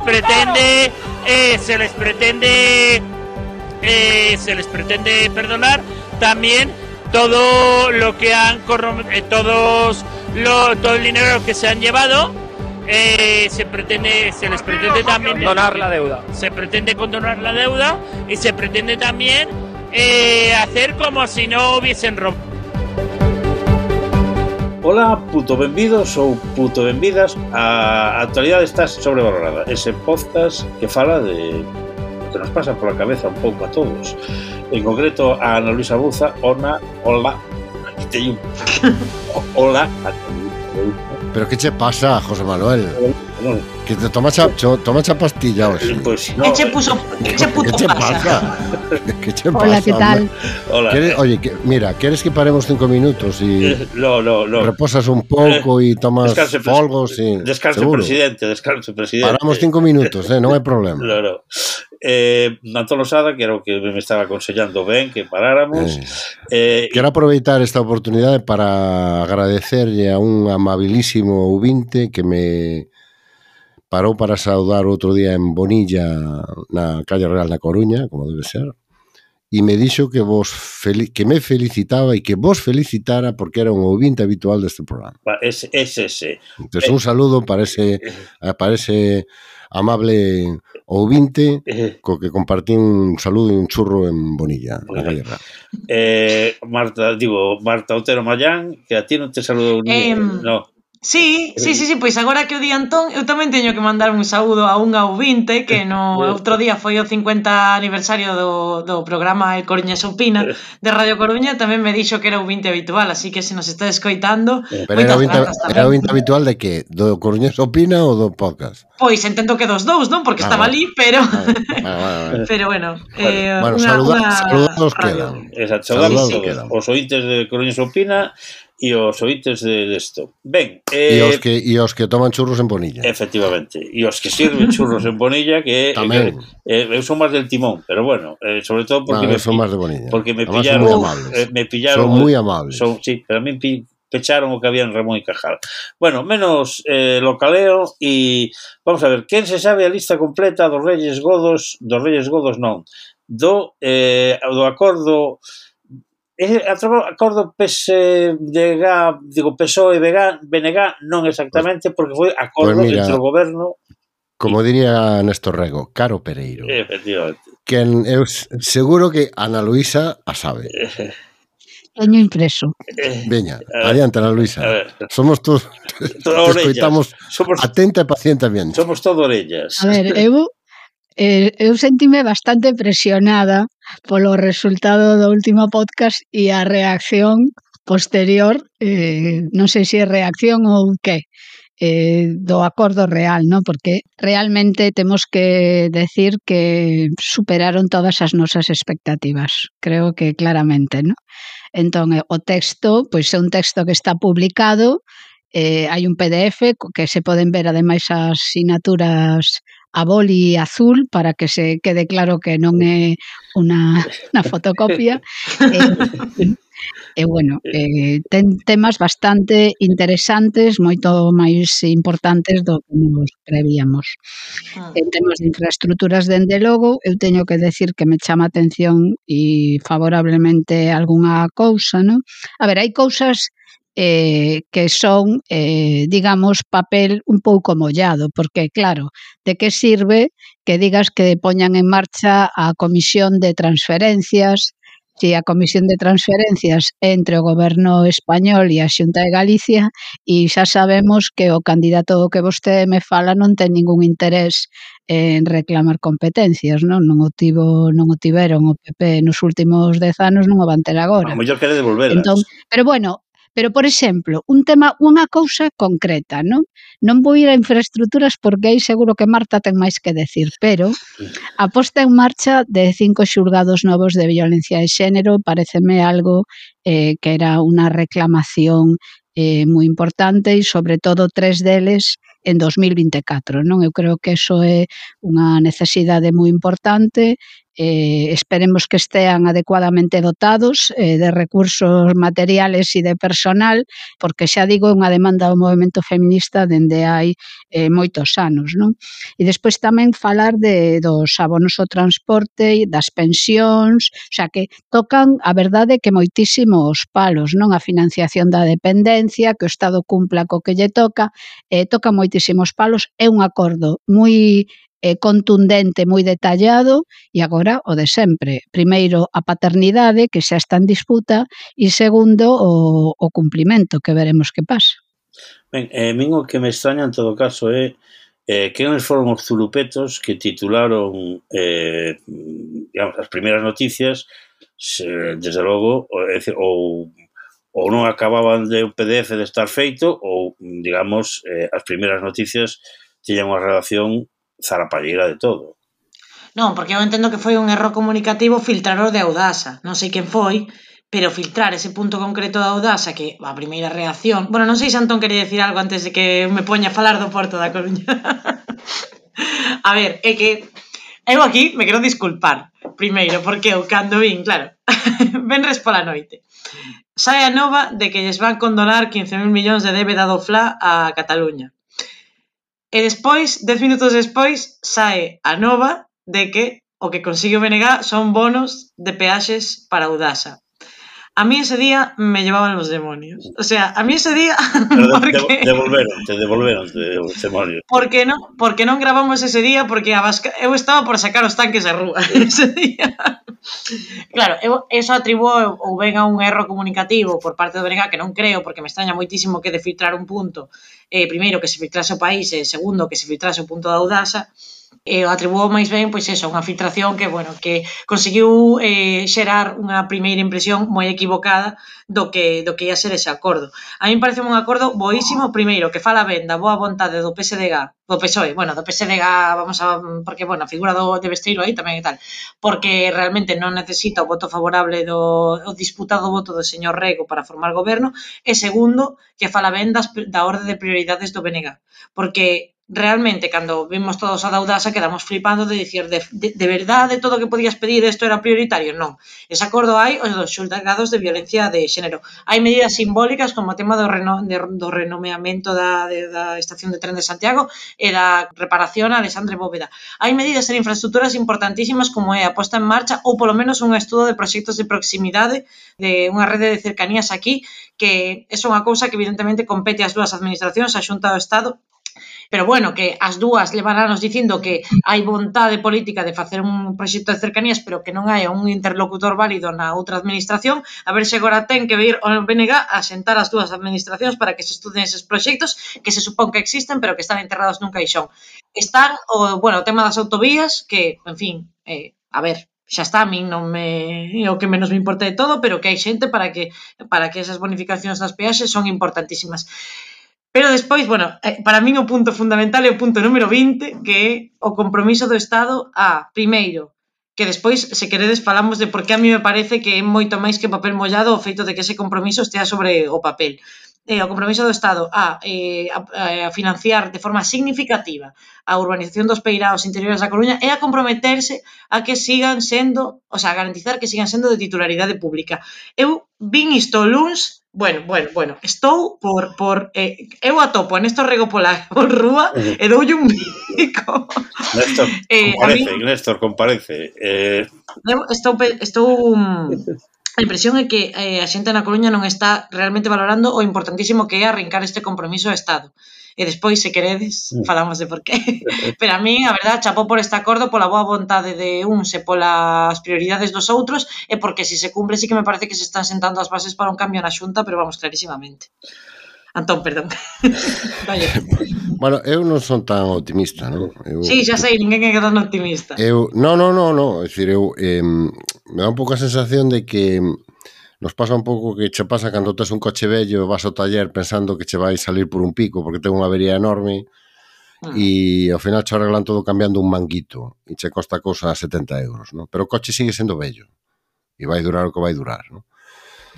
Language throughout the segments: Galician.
pretende perdonar también todo lo que han todo el dinero que se han llevado. Se les pretende también condonar la deuda. Se pretende condonar la deuda y se pretende también hacer como si no hubiesen robado. Ola, puto benvidos ou puto benvidas. A actualidade está sobrevalorada. Ese podcast que fala de que nos pasa pola cabeza un pouco a todos. En concreto a Ana Luisa Buza. Hola. Hola. Pero que che pasa, José Manuel? Que te tomas a pastilla hoxe. Pues no. Que che pasa? Que che pasa? Hola, ¿qué tal? Hola. Oye, mira, ¿quieres que paremos 5 minutos y no. reposas un pouco y tomas folgos? Descanse, presidente. Paramos 5 minutos, non hai problema. No. Antón Losada, que era o que me estaba aconsellando ben que paráramos. Quero aproveitar esta oportunidade para agradecerlle a un amabilísimo ouvinte que me parou para saudar outro día en Bonilla, na calle Real da Coruña, como debe ser, e me dixo que me felicitaba e que vos felicitara porque era un ouvinte habitual deste programa. Ese. Entón, un saludo para ese amable ouvinte co que compartí un saludo e un churro en Bonilla, na calle Real. Marta Otero Mayán, que a ti non te saludo no. Sí, pois agora que o di Antón, eu tamén teño que mandar un saúdo a unha ouvinte que no outro día foi o 50 aniversario do programa El Coruñés Opina de Radio Coruña, tamén me dixo que era ouvinte habitual, así que se nos está escoitando. Pero era ouvinte habitual de que? Do Coruñés Opina ou do podcast? Pois entendo que dos dous, non? Porque estaba ali, pero pero bueno, saludados quedan. Exacto, saludados todos. Os ointes de Coruñés Opina e os ointes desto. Ben, e os que toman churros en Bonilla. Efectivamente, e os que sirven churros en Bonilla, que eu son máis del Timón, pero bueno, sobre todo porque son máis de Bonilla. Porque me pillaron, son moi amables. Sí, pero a mí pecharon o que había en Ramón y Cajal. Bueno, menos localeo e vamos a ver, quen se sabe a lista completa dos Reyes Godos non, do acordo acordo PSOE-BNG non exactamente, porque foi acordo entre o goberno. Como diría Néstor Rego, Caro Pereiro. Efectivamente. Que eu seguro que Ana Luisa a sabe. Teño impreso. Veña, adiante, Ana Luisa. Somos todos escoitamos atenta e pacientemente. Somos todo orellas. A ver, eu sentime bastante presionada polo resultado do último podcast e a reacción posterior, non sei se é reacción ou que, do acordo real, ¿no? Porque realmente temos que decir que superaron todas as nosas expectativas, creo que claramente, ¿no? Entón, o texto, pois é un texto que está publicado, hai un PDF que se poden ver ademais as sinaturas a boli azul para que se quede claro que non é unha fotocopia. E bueno, ten temas bastante interesantes, moito máis importantes do que nos prevíamos. En temas de infraestructuras, dende logo, eu teño que decir que me chama a atención e favorablemente algunha cousa, non? A ver, hai cousas que son, digamos, papel un pouco mollado, porque, claro, de que sirve que digas que poñan en marcha a Comisión de Transferencias, si a Comisión de Transferencias entre o Goberno español e a Xunta de Galicia, e xa sabemos que o candidato que vostede me fala non ten ningún interés en reclamar competencias, non o tiveron o PP nos últimos 10 anos, non o van ter agora. A mellor quere devolvelas. Entón, pero bueno, pero, por exemplo, unha cousa concreta, non? Non vou ir a infraestructuras porque aí seguro que Marta ten máis que decir, pero a posta en marcha de 5 xulgados novos de violencia de xénero pareceme algo que era unha reclamación moi importante e, sobre todo, 3 deles en 2024, non? Eu creo que eso é unha necesidade moi importante. Esperemos que estean adecuadamente dotados de recursos materiales e de personal, porque xa digo, é unha demanda do movemento feminista dende hai moitos anos, non? E despois tamén falar dos abonos ao transporte, das pensións, o sea que tocan, a verdade, que moitísimos palos, non? A financiación da dependencia, que o Estado cumpla co que lle toca moitísimos palos, é un acordo moi contundente, moi detallado, e agora o de sempre. Primeiro, a paternidade, que xa está en disputa, e segundo, o cumplimento, que veremos que pasa. Ben, min o que me extraña en todo caso é quenes foron os zurupetos que titularon digamos, as primeiras noticias, desde logo, ou non acababan de un PDF de estar feito, ou, digamos, as primeiras noticias tiñan unha relación zarapalleira de todo. Non, porque eu entendo que foi un erro comunicativo filtrar o de Audasa. Non sei quen foi, pero filtrar ese punto concreto da Audasa, que a primeira reacción... Bueno, non sei se Antón quería decir algo antes de que me poña a falar do Porto da Coruña. A ver, é que eu aquí me quero disculpar, primeiro, porque eu cando vin, claro, venres pola noite, sae a nova de que lles van condonar 15.000 millóns de débeda do FLA a Cataluña. E despois, 10 minutos despois, sae a nova de que o que consigue o BNG son bonos de peaxes para Audasa. A mí ese día me llevaban los demonios. O sea, a mí ese día... Porque... Devolveronte os demonios. Porque non gravamos ese día, porque eu estaba por sacar os tanques da rúa ese día. Claro, eso atribuo ou ben a un erro comunicativo por parte do BNG, que non creo, porque me extraña moitísimo que de filtrar un punto, primeiro que se filtrase o país, e segundo que se filtrase o punto da Audasa, o atribuo máis ben, pois eso, unha filtración que, bueno, que conseguiu xerar unha primeira impresión moi equivocada do que ia ser ese acordo. A mí parece un acordo boísimo, primeiro, que fala ben da boa vontade do PSDG, do PSOE, bueno, do PSDG, vamos a, porque, bueno, a figura de Besteiro aí tamén e tal, porque realmente non necesita o voto favorable o disputado voto do señor Rego para formar goberno, e segundo, que fala ben da orde de prioridades do BNG, porque realmente, cando vimos todos a da Audasa, quedamos flipando de dicir, de verdade, todo o que podías pedir isto era prioritario? Non. Ese acordo hai os dos xulgados de violencia de xénero. Hai medidas simbólicas como o tema do renomeamento da estación de tren de Santiago e da reparación a Alexandre Bóveda. Hai medidas en infraestructuras importantísimas como é a posta en marcha ou polo menos un estudo de proxectos de proximidade de unha rede de cercanías aquí, que é unha cousa que evidentemente compete ás dúas administracións, a Xunta do Estado. Pero bueno, que as dúas levarános dicindo que hai vontade política de facer un proxecto de cercanías, pero que non hai un interlocutor válido na outra administración, a ver se agora ten que vir ao BNG a sentar as dúas administracións para que se estuden eses proxectos que se supón que existen, pero que están enterrados nun caixón. Están o tema das autovías, que, en fin, a ver, xa está, a min non me o que menos me importa de todo, pero que hai xente para que esas bonificacións das peaxes son importantísimas. Pero despois, bueno, para min o punto fundamental é o punto número 20, que é o compromiso do Estado primeiro, que despois, se queredes, falamos de por que a mí me parece que é moito máis que papel mollado o feito de que ese compromiso estea sobre o papel. O compromiso do Estado a financiar de forma significativa a urbanización dos peiraos interiores da Coruña e a comprometerse a que sigan sendo, o sea, a garantizar que sigan sendo de titularidade pública. Eu vin isto luns. Bueno, estou por eu atopo a Néstor Rego pola rúa e doulle un bico. Néstor, comparece. Estou a impresión é que a xente na Coruña non está realmente valorando o importantísimo que é arrincar este compromiso ao Estado. E despois, se queredes, falamos de por qué. Pero a mí, a verdad, chapó por este acordo, pola boa vontade de uns e polas prioridades dos outros, e porque se se cumple, sí que me parece que se están sentando as bases para un cambio na Xunta, pero vamos, clarísimamente. Antón, perdón. Bueno, eu non son tan optimista, non? Sí, xa sei, ninguén é tan optimista. Non. É dicir, me dá un pouco a sensación de que nos pasa un pouco que che pasa cando tes un coche vello e vas ao taller pensando que che vai salir por un pico porque ten unha avería enorme e ao final che arreglan todo cambiando un manguito e che costa cousa a 70 euros, non? Pero o coche sigue sendo vello e vai durar o que vai durar, non?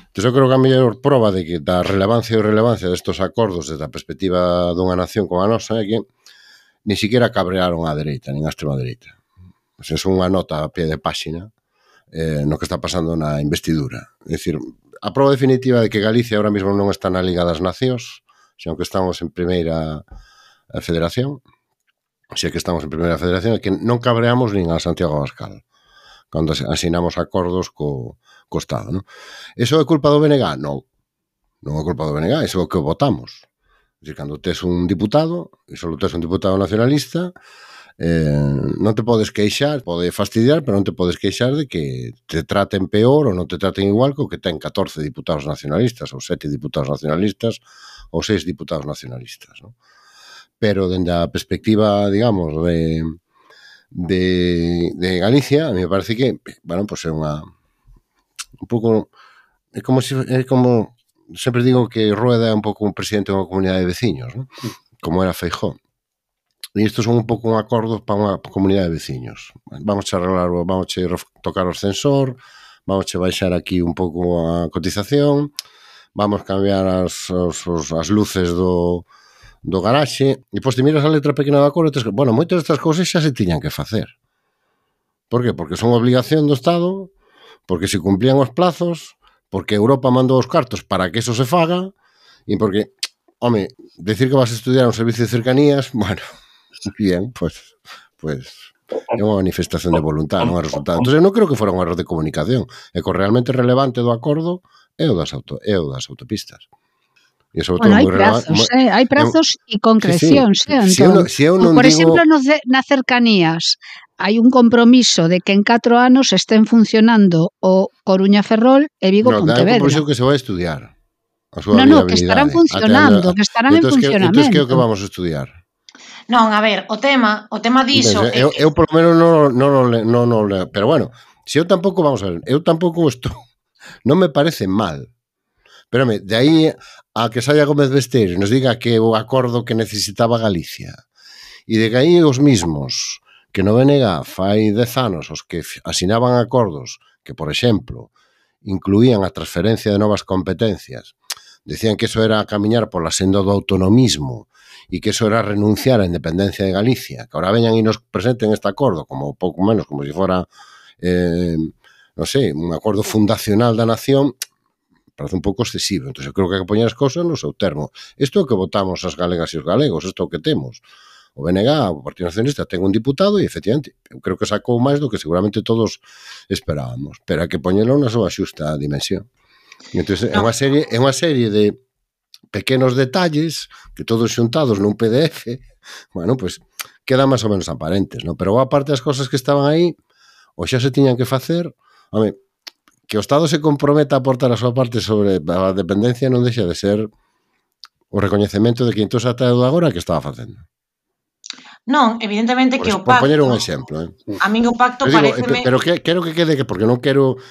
Entón, eu creo que a mellor proba de que da relevancia e irrelevancia destos acordos desde a perspectiva dunha nación como a nosa é que ni siquiera cabrearon á dereita, nin á extrema dereita. Pois é unha nota a pie de páxina no que está pasando na investidura. É dicir, a prova definitiva de que Galicia ahora mesmo non está na Liga das Nacións, senón que estamos en primeira federación, xa que estamos en primeira federación, é que non cabreamos nin a Santiago Abascal cando asinamos acordos co Estado, non? Iso é culpa do BNG? Non. Non é culpa do BNG, iso é o que votamos. É dicir, cando tes un diputado, e só tes un diputado nacionalista, non te podes queixar, pode fastidiar, pero non te podes queixar de que te traten peor ou non te traten igual que o que ten 14 diputados nacionalistas, ou 7 diputados nacionalistas, ou 6 diputados nacionalistas, non? Pero dende a perspectiva, digamos, de Galicia, a mí me parece que, bueno, pues é unha un pouco, é como sempre digo que Rueda é un pouco un presidente de unha comunidade de veciños, non? Como era Feijóo. E isto son un pouco un acordo para unha comunidade de veciños. Vamos a arreglar, vamos a tocar o ascensor, vamos a baixar aquí un pouco a cotización, vamos a cambiar as luces do garaxe, e pois te miras a letra pequena do acordo e bueno, moitas destas cousas xa se tiñan que facer. Por que? Porque son obligación do Estado, porque se cumplían os plazos, porque Europa mandou os cartos para que eso se faga, e porque, home, decir que vas a estudiar un servicio de cercanías, bueno, bien, pues é unha manifestación de voluntad, non é resultado. Entón, eu non creo que fora un error de comunicación, é que o realmente relevante do acordo é o das autopistas. E sobre bueno, todo hai prazos e concrecións, Antón. Se eu non por digo... exemplo, nas cercanías hai un compromiso de que en 4 anos estén funcionando o Coruña-Ferrol e Vigo-Pontevedra. Hai un compromiso que se vai a estudiar. No, que estarán funcionando, que estarán en funcionamento. Entón, que é o que vamos a estudiar? Non, a ver, o tema diso... Eu por lo menos non leo, pero bueno, se eu tampouco, vamos a ver, eu tampouco isto non me parece mal. Pero, de aí a que Saia Gómez Besteiro nos diga que o acordo que necesitaba Galicia e de que aí os mismos que no BNG fai 10 anos os que asinaban acordos que, por exemplo, incluían a transferencia de novas competencias, decían que eso era camiñar pola senda do autonomismo e que eso era renunciar á independencia de Galicia, que ahora veñan e nos presenten este acordo como pouco menos, como se fora non sei, un acordo fundacional da nación, parece un pouco excesivo. Entón, eu creo que hai que poñer as cousas no seu termo. Isto é o que votamos as galegas e os galegos, isto é o que temos. O BNG, o Partido Nacionalista, ten un diputado e, efectivamente, eu creo que sacou máis do que seguramente todos esperábamos, pero hai que poñelo na súa xusta dimensión. Entón, é unha serie de pequenos detalles que todos xuntados nun PDF, bueno, pues quedan máis ou menos aparentes, non? Pero boa parte das cosas que estaban aí, ou xa se tiñan que facer, home, que o Estado se comprometa a aportar a súa parte sobre a dependencia non deixa de ser o recoñecemento de que entón ata de agora que estaba facendo. Non, evidentemente que o pacto... Por poñer un exemplo. A min o pacto pareceme... Pero quero que quede, porque non quero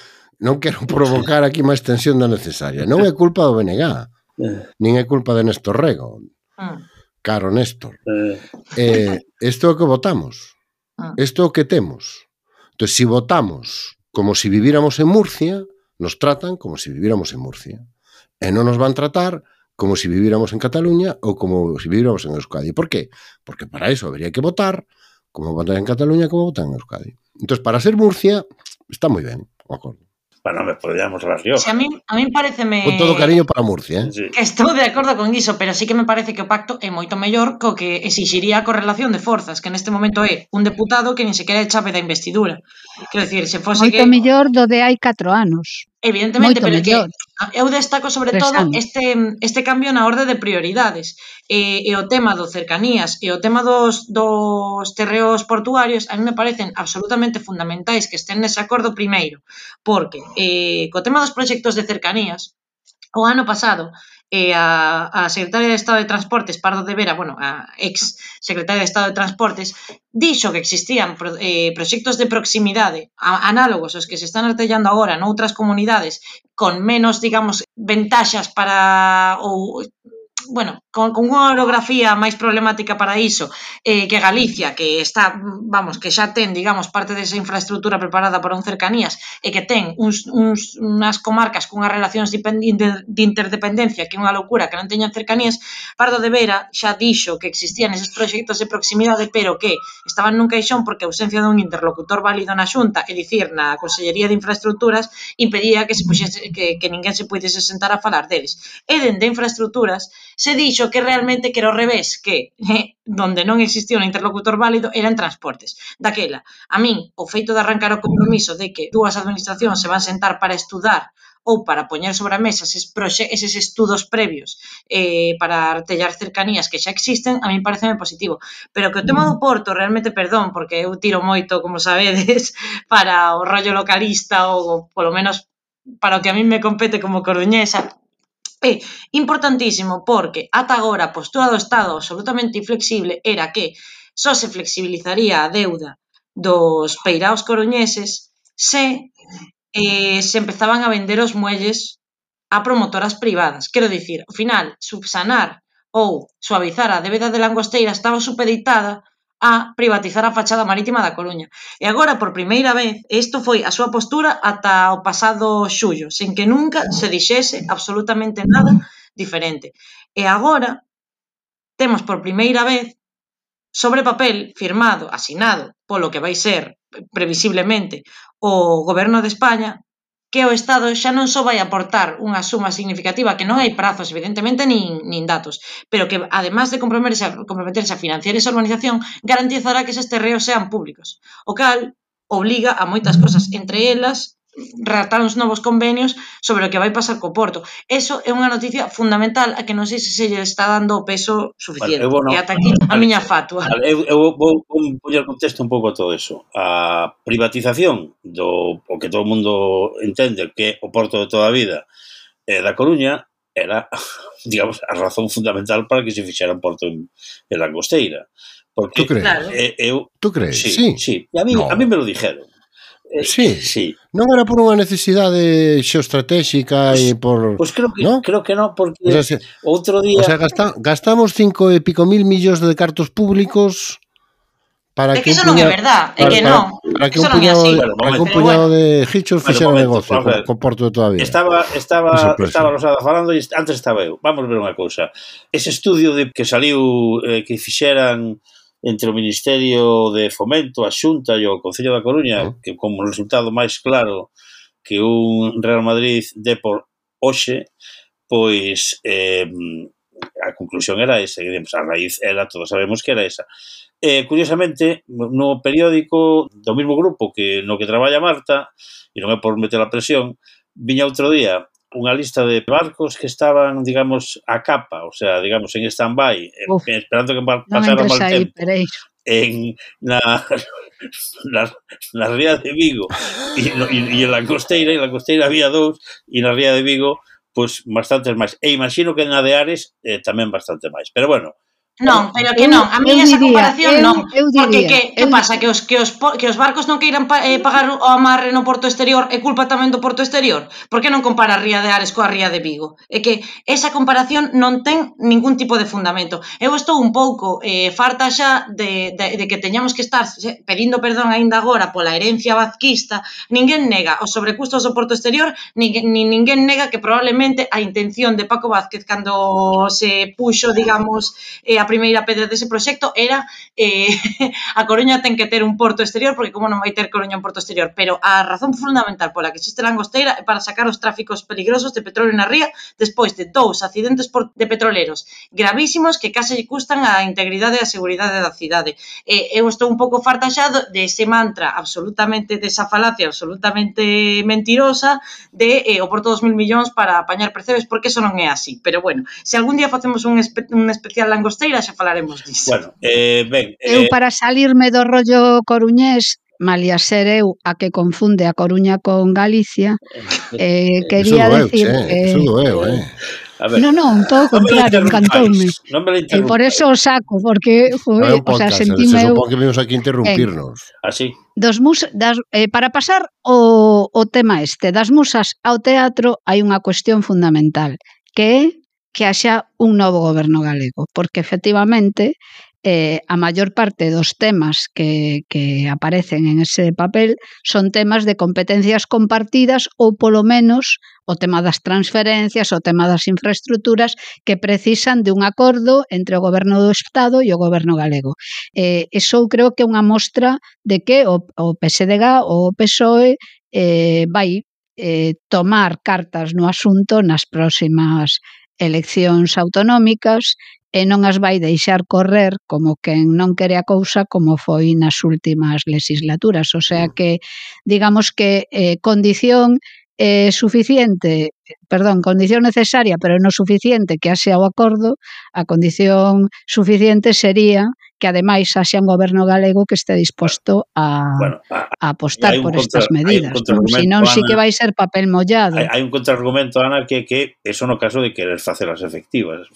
provocar aquí máis tensión da necesaria. Non é culpa do BNG, nin é culpa de Néstor Rego. Caro Néstor. Isto é o que votamos. Isto é o que temos. Entón, se votamos como se viviéramos en Murcia, nos tratan como se viviéramos en Murcia. E non nos van tratar como se viviéramos en Cataluña ou como se viviéramos en Euskadi. Por qué? Porque para eso habría que votar como votar en Cataluña como votar en Euskadi. Entón, para ser Murcia, está moi ben o acordo. Bueno, me podríamos las Riojas. Si a min pareceme... Con todo cariño para Murcia, Sí. Que estou de acordo con iso, pero sí que me parece que o pacto é moito mellor co que exixiría a correlación de forzas, que neste momento é un deputado que nin sequera é chave da investidura. Quero dicir, se fose moito mellor do de hai 4 anos. Evidentemente, Moito pero mellor. Que eu destaco sobre todo este cambio na orde de prioridades e o tema do cercanías e o tema dos terreos portuarios a mí me parecen absolutamente fundamentais que estén nese acordo primeiro, porque co tema dos proxectos de cercanías o ano pasado a secretaria de Estado de Transportes, Pardo de Vera, bueno, a ex secretaria de Estado de Transportes, dixo que existían proxectos de proximidade análogos aos que se están artellando agora noutras comunidades con menos, digamos, ventaxas para ou bueno, con unha orografía máis problemática para iso que Galicia, que está, vamos, que xa ten, digamos, parte desa infraestructura preparada para un cercanías e que ten unhas comarcas cunhas relacións de interdependencia que é unha locura que non teñan cercanías. Pardo de Vera xa dixo que existían eses proxectos de proximidade, pero que estaban nun caixón porque a ausencia dun interlocutor válido na Xunta, é dicir, na Consellería de Infraestructuras, impedía que se puxese, que ninguén se puidese sentar a falar deles. E dende infraestructuras se dixo que realmente que era ao revés, que donde non existía un interlocutor válido era en transportes. Daquela, a min, o feito de arrancar o compromiso de que dúas administracións se van sentar para estudar ou para poñer sobre a mesa eses estudos previos para artellar cercanías que xa existen, a min pareceme positivo. Pero que o tema do Porto, realmente, perdón, porque eu tiro moito, como sabedes, para o rollo localista ou polo menos para o que a min me compete como coruñesa, é importantísimo porque ata agora a postura do Estado absolutamente inflexible era que só se flexibilizaría a deuda dos peiraos coruñeses se empezaban a vender os muelles a promotoras privadas. Quero dicir, ao final, subsanar ou suavizar a débeda de Langosteira estaba supeditada a privatizar a fachada marítima da Coruña. E agora, por primeira vez, isto foi a súa postura ata o pasado xullo, sen que nunca se dixese absolutamente nada diferente. E agora, temos por primeira vez, sobre papel, firmado, asinado, polo que vai ser, previsiblemente, o Goberno de España, que o Estado xa non só vai aportar unha suma significativa, que non hai prazos, evidentemente, nin datos, pero que, además de comprometerse a financiar esa organización, garantizará que eses terreos sean públicos, o cal obliga a moitas cosas, entre elas redactar uns novos convenios sobre o que vai pasar co Porto. Eso é unha noticia fundamental a que non sei se se lle está dando o peso suficiente. E ata aquí a miña fatua. Eu vou poñer contexto un pouco a todo eso. A privatización do o que todo o mundo entende que o Porto de toda a vida da Coruña era, digamos, a razón fundamental para que se fixera un Porto en Langosteira. Porque, ¿tú crees? Claro. ¿Tú crees? Sí. E a mí me lo dijeron. Sí. Non era por unha necesidade xeoestratégica e por... Pois creo que non, porque o sea, outro día... O sea, gastamos 5 e pico mil millóns de cartos públicos para que eso non é verdad, é que non. Para que un puñado de gichos fixera negocio con Porto de toda a vida. Estaba Rosada falando e antes estaba eu. Vamos ver unha cousa. Ese estudio que saliu que fixeran entre o Ministerio de Fomento, a Xunta e o Concello da Coruña, que como resultado máis claro que un Real Madrid de por hoxe, pois a conclusión era esa, a raíz era, todos sabemos que era esa. Curiosamente, no periódico do mesmo grupo no que traballa Marta, e non é por meter a presión, viña outro día unha lista de barcos que estaban, digamos, a capa, o sea, digamos, en stand-by, esperando que pasara mal tempo, na ría de Vigo e en Langosteira, había 2, e na ría de Vigo, pois, bastantes máis. E imagino que na de Ares tamén bastante máis. Pero bueno, non, pero que non, a mí esa comparación non, porque que pasa, que os barcos non queiran pagar o amarre no porto exterior é culpa tamén do porto exterior? Por que non compara a ría de Ares coa ría de Vigo? É que esa comparación non ten ningún tipo de fundamento. Eu estou un pouco farta xa de que teñamos que estar pedindo perdón aínda agora pola herencia vazquista. Ninguén nega os sobrecustos do porto exterior, ninguén nega que probablemente a intención de Paco Vázquez cando se puxo, digamos, a primeira pedra dese proxecto era a Coruña ten que ter un porto exterior, porque como non vai ter Coruña un porto exterior, pero a razón fundamental pola que existe Langosteira é para sacar os tráficos peligrosos de petróleo na ría despois de 2 accidentes de petroleros gravísimos que case lle custan a integridade e a seguridade da cidade. Eu estou un pouco farta xa de ese mantra absolutamente, desa falacia absolutamente mentirosa de o porto 2.000 millóns para apañar percebes, porque eso non é así. Pero bueno, se algún día facemos un especial Langosteira xa falaremos disso. Bueno, ben... Eu para salirme do rollo coruñés, malia ser eu a que confunde a Coruña con Galicia, quería decir... Eso doeu, Non, todo o contrario, encantoume. E por eso o saco, porque o sea, sentime eu... Se supón que vimos aquí interrumpirnos. Así. Para pasar o tema das musas ao teatro hai unha cuestión fundamental, que é que haxa un novo goberno galego, porque efectivamente a maior parte dos temas que aparecen en ese papel son temas de competencias compartidas ou polo menos o tema das transferencias, o tema das infraestructuras que precisan de un acordo entre o goberno do Estado e o goberno galego. Eso creo que é unha mostra de que o PSDG ou o PSOE vai tomar cartas no asunto nas próximas eleccións autonómicas e non as vai deixar correr como quen non quere a cousa como foi nas últimas legislaturas. O sea que, digamos que condición suficiente, condición necesaria pero non suficiente que haxa o acordo, a condición suficiente sería que ademais haxa un goberno galego que este disposto a apostar por estas medidas. Senón sí que vai ser papel mollado. Hai un contraargumento, Ana, que eso no caso de querer facelas efectivos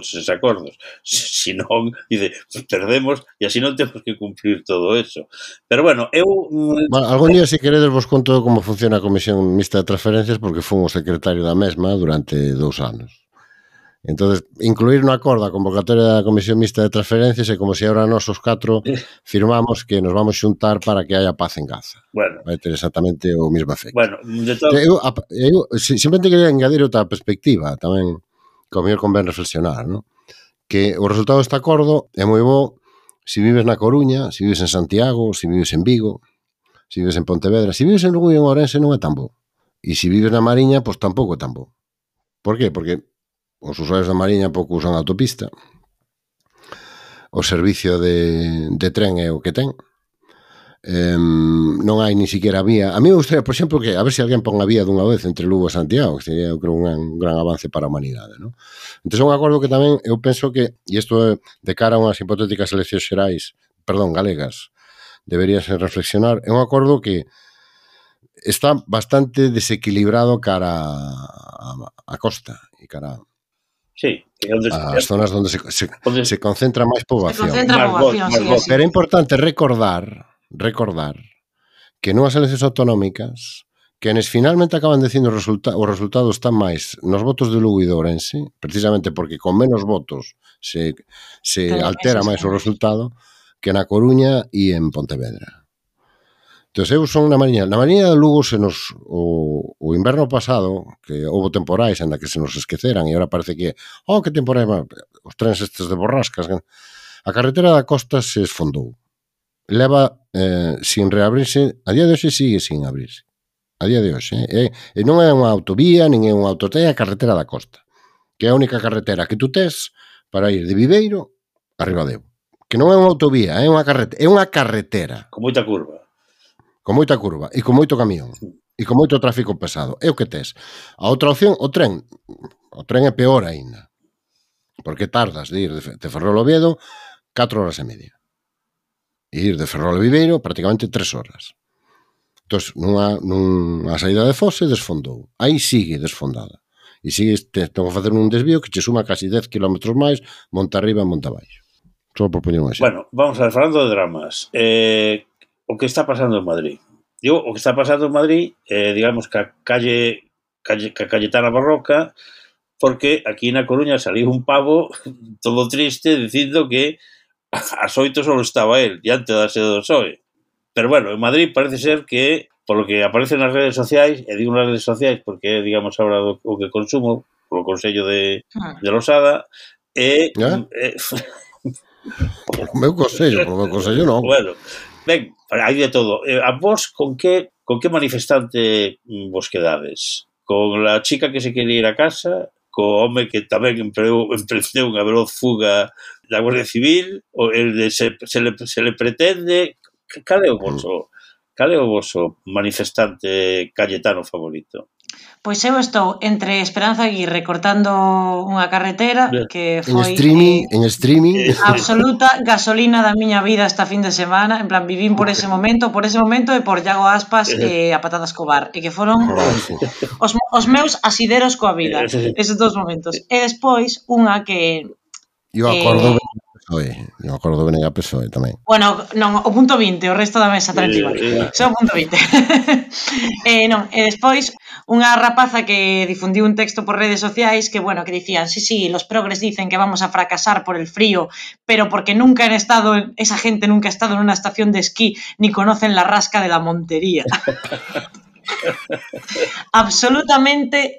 eses acordos. Si non, dice, perdemos e así non temos que cumplir todo eso. Pero bueno, algún día, se queredes, vos conto como funciona a Comisión Mixta de Transferencias, porque fui o secretario da mesma durante 2 anos. Entonces, incluir no acordo a convocatoria da Comisión Mixta de Transferencias é como se agora nós os 4 firmamos que nos vamos xuntar para que haya paz en Gaza. Bueno, vai ter exactamente o mesmo efecto. Bueno, de todo... eu simplemente quería engadir outra perspectiva tamén, que ao mellor convén reflexionar, ¿no? Que o resultado deste acordo é moi bo se vives na Coruña, se vives en Santiago, se vives en Vigo, se vives en Pontevedra. Se vives en Lugo e en Ourense non é tan bo. E se vives na Mariña, pois tampouco é tan bo. Por qué? Porque os usuarios da Mariña pouco usan a autopista, o servicio de tren é o que ten, non hai ni siquiera vía. A mí me gustaría, por exemplo, que a ver se alguén pon a vía dunha vez entre Lugo e Santiago, que sería, eu creo, un gran avance para a humanidade, ¿no? Entón, é un acordo que tamén eu penso que, e isto é de cara a unhas hipotéticas eleccións xerais, galegas, deberíase reflexionar, é un acordo que está bastante desequilibrado cara a costa e cara sí, as zonas onde se concentra máis poboación. Pero é importante recordar que nunhas eleccións autonómicas quenes finalmente acaban dicindo os resultados están máis nos votos de Lugo e de Ourense, precisamente porque con menos votos se altera máis o resultado que na Coruña e en Pontevedra. Entón, eu son na Mariña de Lugo o inverno pasado, que houve temporais en que se nos esqueceran e agora parece que que temporais, os trens estes de borrascas, a carretera da costa se esfondou, leva sin reabrirse, a día de hoxe sigue sin abrirse, a día de hoxe, e non é unha autovía nin é unha autotea, é a carretera da costa, que é a única carretera que tú tes para ir de Viveiro a Ribadeo, que non é unha autovía, é unha carretera con moita curva e con moito camión e con moito tráfico pesado, é o que tes. A outra opción, o tren é peor aínda, porque tardas de ir de Ferrol a Oviedo 4 horas e media e ir de Ferrol a Viveiro prácticamente 3 horas. Entón, nunha saída de Fose desfondou, aí sigue desfondada e sigue, tengo que facer un desvío que che suma casi 10 km máis monta arriba e monta abaixo. Só por poñer un exemplo. Bueno, vamos a ver, falando de dramas, o que está pasando en Madrid. Digo, o que está pasando en Madrid, digamos que a Cayetana Barroca, porque aquí na Coruña saliu un pavo todo triste dicindo que ás 8 solo estaba él, diante da sede do PSOE. Pero bueno, en Madrid parece ser que, por lo que aparece nas redes sociais, e digo nas redes sociais porque, digamos, ahora o que consumo, polo Consello de Losada, Polo meu consello non. Bueno, ben, hai de todo. A vos, con que manifestante vos quedades? Con la chica que se quería ir a casa? Co home que tamén emprendeu unha veloz fuga da Guardia Civil? O el de se le pretende? Cal é o voso manifestante cayetano favorito? Pois eu estou entre Esperanza Aguirre cortando unha carretera que foi en streaming absoluta gasolina da miña vida esta fin de semana, en plan vivín por ese momento e por Iago Aspas e a Patata Escobar, e que foron os meus asideros coa vida eses 2 momentos. E despois unha que eu acordo PSOE. Non acordo ben a PSOE tamén. Bueno, non, o punto 20, o resto da mesa tranquila. Só o punto 20. Non, e despois unha rapaza que difundiu un texto por redes sociais que, bueno, que dicían, sí, los progres dicen que vamos a fracasar por el frío, pero porque nunca han estado, esa gente nunca ha estado en una estación de esquí ni conocen la rasca de la montería. Absolutamente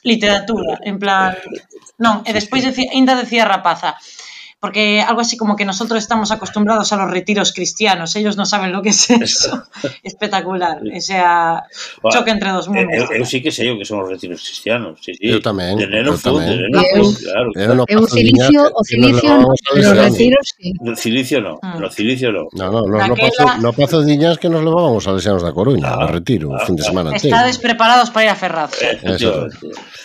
literatura, en plan... Non, e despois ainda decía rapaza, porque algo así como que nosotros estamos acostumbrados a los retiros cristianos, ellos no saben lo que es eso. Espectacular, o sea, choque entre dos mundos. Eu sí que sei o que son os retiros cristianos, sí. Eu tamén, de neno eu tamén. claro. Eu cilicio non, pero retiros sí. No cilicio no. No Pazo de Diñas que nos levábamos a Salesianos da Coruña, a retiro, o fin de semana inteiro. Estades preparados para ir a Ferraz.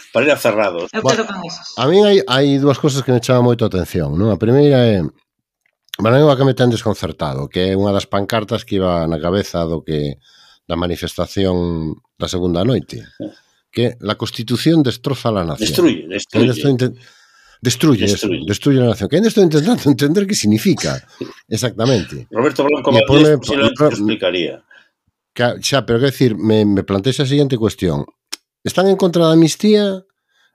Para ir a Cerrados. Eu quedo con esas. A mí hai dúas cosas que me chaman moito a atención, non? A primeira é a que me ten desconcertado, que é unha das pancartas que iba na cabeza da manifestación da segunda noite, que la Constitución destroza la nación. Destruye la nación. Que ainda estou intentando entender que significa exactamente. Roberto Blanco Valdés explicaría. Xa, pero que decir, me plantexa a seguinte cuestión. Están en contra da amnistía?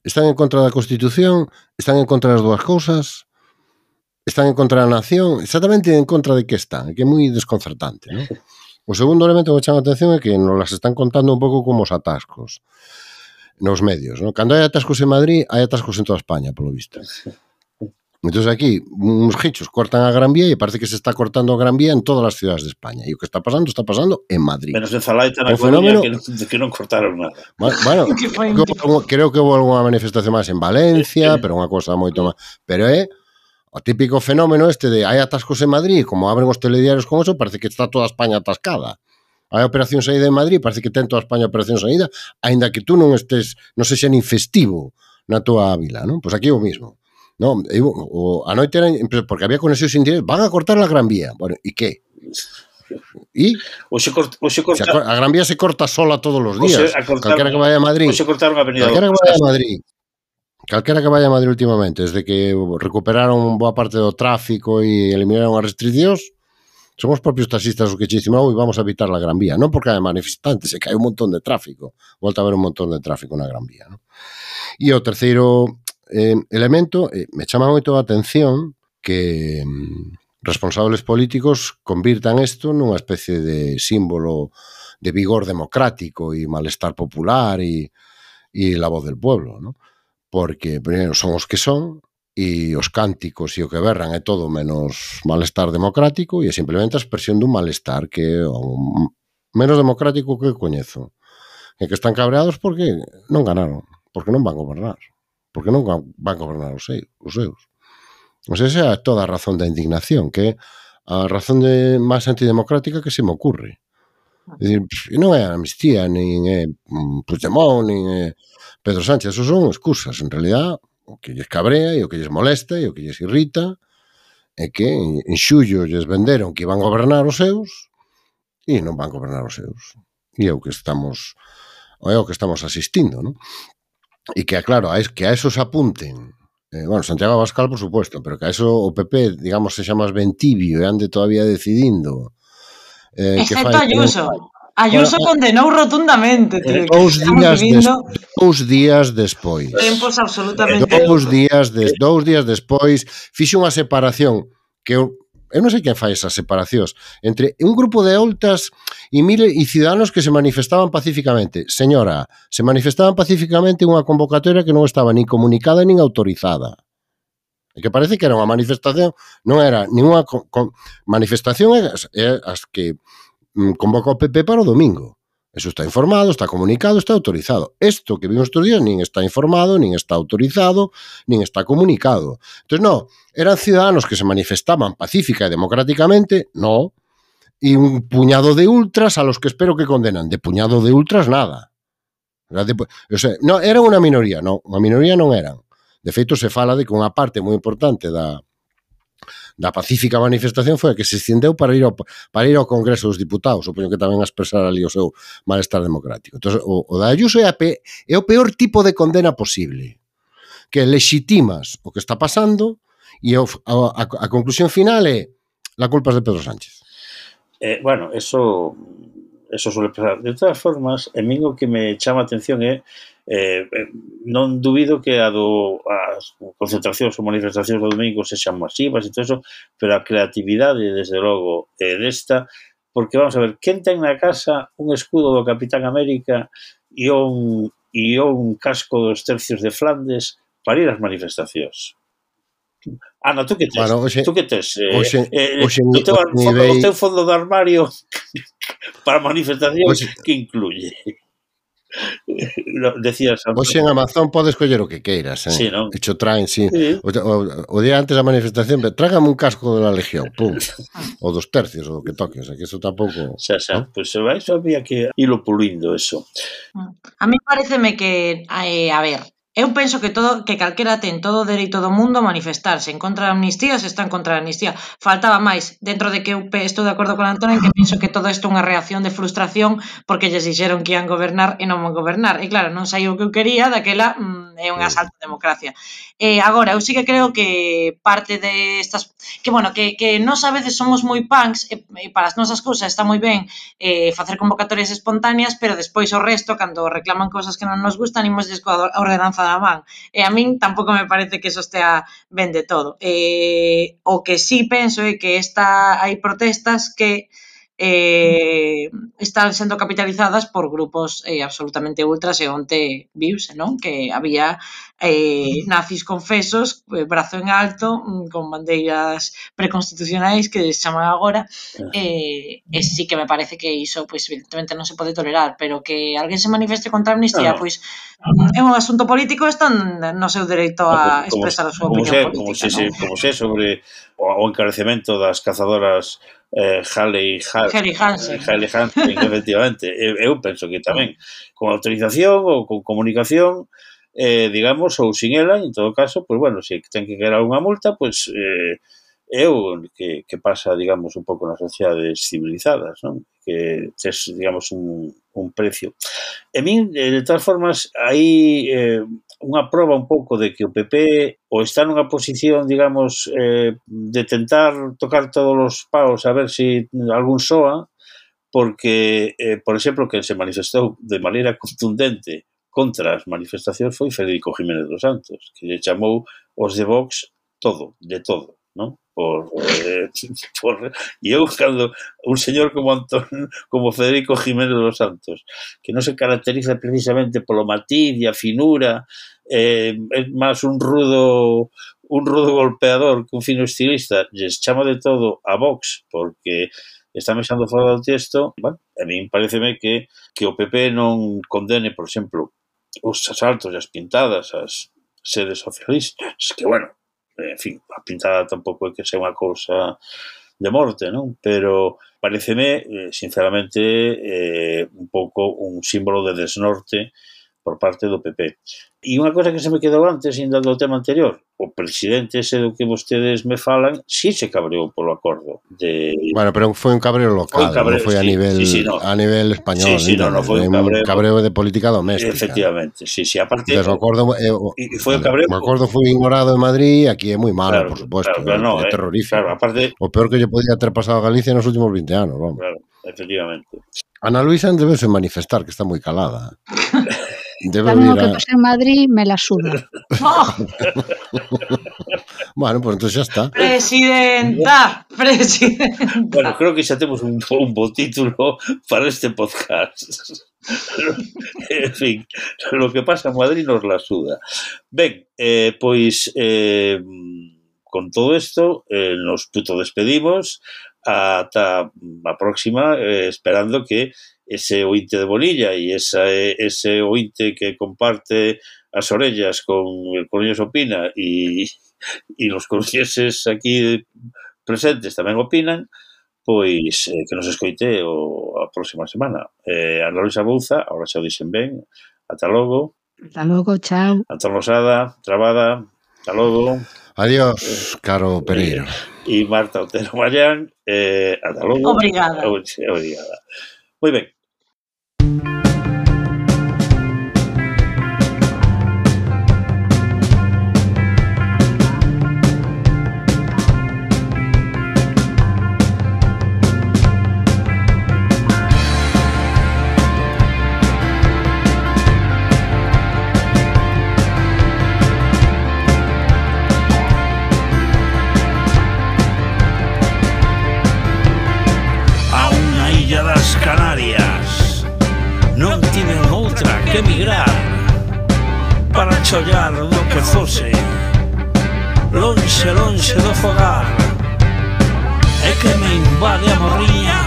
Están en contra da Constitución? Están en contra das dúas cousas? Están en contra da nación? Exactamente en contra de que están? Que é moi desconcertante, non? O segundo elemento que me chama a atención é que nos las están contando un pouco como os atascos nos medios, non? Cando hai atascos en Madrid, hai atascos en toda España, polo visto. Entón aquí, uns gichos cortan a Gran Vía e parece que se está cortando a Gran Vía en todas as cidades de España. E o que está pasando en Madrid. Menos en Zalaita na Coruña que non cortaron nada. Bueno, creo que houve algunha manifestación máis en Valencia, pero unha cosa moito máis. Pero é o típico fenómeno este de hai atascos en Madrid, como abren os telediarios con eso, parece que está toda España atascada. Hai operación saída en Madrid, parece que ten toda España operación saída, aínda que tú non estés, non sexa nin festivo na tua vila, non? Pois aquí é o mismo. No, a noite era porque había conexións indirectas, van a cortar a Gran Vía. Bueno, e que? E a Gran Vía se corta sola todos os días. Calquera que vaya a Madrid. Calquera que vaya a Madrid últimamente, desde que recuperaron boa parte do tráfico e eliminaron as restriccións, son os propios taxistas os que che dicen, vamos a evitar a Gran Vía. Non porque hai manifestantes, é que hai un montón de tráfico. Volta a haber un montón de tráfico na Gran Vía. E o terceiro elemento, me chama moito a atención que responsables políticos convirtan isto nunha especie de símbolo de vigor democrático e malestar popular e la voz del pueblo, ¿no? Porque, primeiro, son os que son e os cánticos e o que berran é todo menos malestar democrático e é simplemente a expresión dun malestar que é o menos democrático que coñezo. E que están cabreados porque non ganaron, porque non van gobernar. Porque non van gobernar os seus. O sea, esa é toda a razón da indignación, que é a razón máis antidemocrática que se me ocurre. É dicir, non é a amnistía, nin é Puigdemont, nin é Pedro Sánchez, esos son excusas. En realidad, o que lles cabrea e o que lles molesta e o que lles irrita é que en xullo lles venderon que iban a gobernar os seus e non van gobernar os seus. E é o que estamos asistindo, non? E que, claro, que a eso se apunten, Santiago Abascal, por supuesto, pero que a eso o PP, digamos, se xa máis ben tibio e ande todavía decidindo. Excepto Ayuso. Ayuso condenou rotundamente. Dous días despois. Tempos absolutamente. Dous días despois fixo unha separación que eu non sei quen fai esas separacións entre un grupo de oltas e ciudadanos que se manifestaban pacíficamente. Señora, se manifestaban pacíficamente unha convocatoria que non estaba nin comunicada nin autorizada. E que parece que era unha manifestación, non era ninguna manifestación, é as que convoca o PP para o domingo. Eso está informado, está comunicado, está autorizado. Isto que vimos estes días nin está informado, nin está autorizado, nin está comunicado. Entón, non, eran ciudadanos que se manifestaban pacífica e democráticamente, non, e un puñado de ultras a los que espero que condenan. De puñado de ultras, nada. O sea, non, era unha minoría, non, unha minoría non eran. De feito, se fala de que unha parte moi importante da pacífica manifestación foi a que se estendeu para ir ao Congreso dos Diputados, supoño que tamén a expresar ali o seu malestar democrático. Entón, o da Ayuso é o peor tipo de condena posible, que legitimas o que está pasando E a conclusión final é la culpa es de Pedro Sánchez. Bueno, eso suele pasar. De todas formas, a mí o que me chama a atención é non dubido que as concentracións ou manifestacións do domingo sexan masivas e todo eso, pero a creatividade, desde logo, desta, porque vamos a ver, quen ten na casa un escudo do Capitán América e un casco dos tercios de Flandes para ir ás manifestacións? Ana, tú que tes? Bueno, tú que tes? O teu fondo de armario para manifestacións que incluye? Decías Hoxe en Amazon podes coller o que queiras, sí, non? E cho traen, sí. Sí. O día antes da manifestación, trágame un casco de la Legión, pum. O dos tercios, o que toque, o sea, que eso tampouco... Xa, ¿no? Pues eso había que irlo pulindo, eso. A mí pareceme que, a ver, eu penso que calquera ten todo o dereito do mundo a manifestarse en contra da amnistía, se está en contra da amnistía. Faltaba máis, dentro de que eu estou de acordo con Antón en que penso que todo isto é unha reacción de frustración porque lles dixeron que ian gobernar e non van gobernar. E claro, non saiu o que eu quería, daquela é un asalto á democracia. Agora, eu sí que creo que parte destas... Que, bueno, que nós a veces somos moi punks e para as nosas cousas está moi ben facer convocatorias espontáneas, pero despois o resto, cando reclaman cousas que non nos gustan, imosles coa ordenanza da man. E a min tampouco me parece que eso estea ben de todo. O que sí penso é que hai protestas que están sendo capitalizadas por grupos absolutamente ultras e onte viuse, non? Que había nazis confesos, brazo en alto, con bandeiras preconstitucionais que se chaman agora, e sí que me parece que iso, pois, evidentemente non se pode tolerar, pero que alguén se manifeste contra a amnistía, pois, é un asunto político, están no seu dereito a expresar a súa opinión política, non? Como se sobre o encarecemento das cazadoras Haley Hansen, efectivamente. Eu penso que tamén con autorización ou con comunicación, digamos, ou sin ela, en todo caso, pues bueno, se ten que quedar unha multa, pues é o que pasa, digamos, un pouco nas sociedades civilizadas, non? Que tes, digamos, un precio. E min, de todas formas, hai unha proba un pouco de que o PP ou está nunha posición, digamos, de tentar tocar todos os paus a ver se algún soa, porque, por exemplo, que se manifestou de maneira contundente contra as manifestacións foi Federico Jiménez dos Santos, que lle chamou os de Vox todo, de todo, non? E eu, cando un señor como Federico Jiménez dos Santos, que non se caracteriza precisamente polo matiz e a finura, é máis un rudo golpeador que un fino estilista, lles chama de todo a Vox porque está mexando fora do texto. Bueno, a mí pareceme que o PP non condene, por exemplo, os asaltos e as pintadas ás sedes socialistas, que, bueno, en fin, a pintada tampouco é que sea unha cousa de morte, non? Pero pareceme, sinceramente, un pouco un símbolo de desnorte por parte do PP. E unha cosa que se me quedou antes, ainda do tema anterior, o presidente ese do que vostedes me falan, sí se cabreou polo acordo de... Bueno, pero foi un cabreo local, non foi a nivel español. Sí, non foi un cabreo de política doméstica. Efectivamente, sí, aparte... O acordo foi ignorado en Madrid, aquí é moi malo, por suposto, é terrorífico. Claro, aparte... O peor que lle podía ter pasado a Galicia nos últimos 20 anos, vamos. Claro, efectivamente. Ana Luisa debese manifestar, que está moi calada. Tamén o que pasa en Madrid me la suda. Bueno, pues entonces xa está. Presidenta. Bueno, creo que xa temos un bo título para este podcast. En fin, lo que pasa en Madrid nos la suda. Ben, pois con todo isto nos puto despedimos ata a próxima, esperando que ese ointe de Bonilla e ese ointe que comparte as orellas con el Coruñés Opina e os coruñeses aquí presentes tamén opinan, pois que nos escoite a próxima semana. Ana Luisa Bouza, agora xa o dixen ben, ata logo. Ata logo, chao. Antón Losada, Trabada, ata logo. Adiós, caro Pereiro. E Marta Otero Mayán, ata logo. Obrigada. Moi ben. ollar do que fose, lonxe, lonxe do fogar. É que me invade a morriña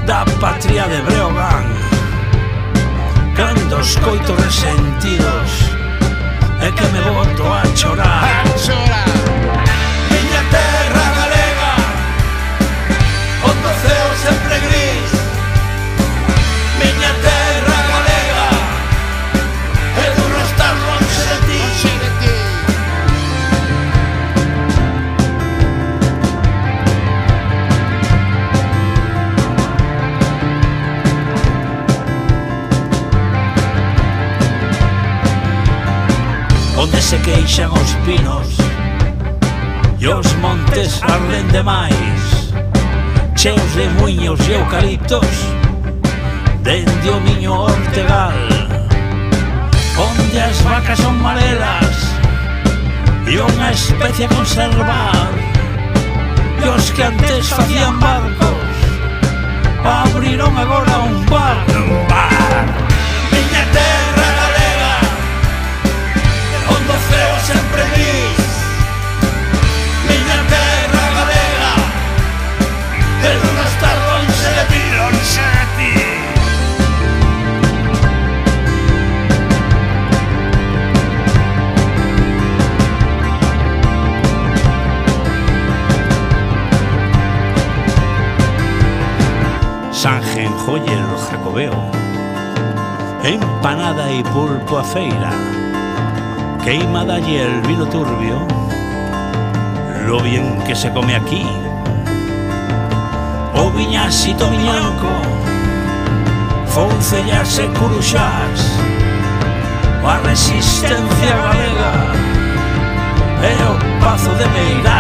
da patria de Breogán, cando escoito resentidos, é que me boto a chorar. Miña terra galega, onde o ceo sempre gris. Miña terra galega, é duro estar lonxe de ti. Onde se queixan os pinos e os montes arden demais, cheos de muiños e eucaliptos dende o miño Ortegal, onde as vacas son marelas e unha especie a conservar, e os que antes facían barcos abriron agora un bar. Miña terra galega, onde o ceo sempre gris. Miña terra galega, é duro estar lonxe de ti, lonxe de ti. Sanjenjoyer o Jacobeo, empanada y pulpo a feira, queimada y el vino turbio, lo bien que se come aquí. O viñasito miñanco, foncellas e curuxás, a resistencia galega, e o pazo de Meirás.